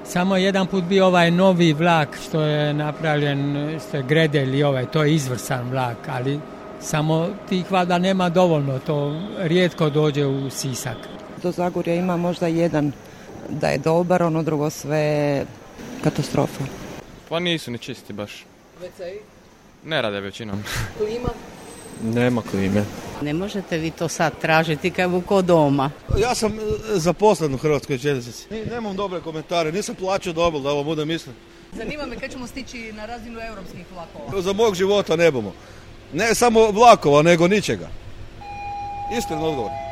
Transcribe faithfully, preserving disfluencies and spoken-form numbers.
Samo jedan put bio ovaj novi vlak što je napravljen, što je Gredelj i ovaj, to je izvrsan vlak, ali samo tih valjda nema dovoljno, to rijetko dođe u Sisak. Do Zagorja ima možda jedan da je dobar, ono drugo sve katastrofa. Pa nisu ni čisti baš. Veceji? Ne rade većinom. Klima? Nema klime. Ne možete vi to sad tražiti kao ko doma. Ja sam zaposlen u Hrvatskoj željeznici. Nemam dobre komentare, nisam plaću dobil da ovo bude mislim. Zanima me kad ćemo stići na razinu europskih vlakova. Za mog života ne bomo. Ne samo vlakova, nego ničega. Iskren odgovor.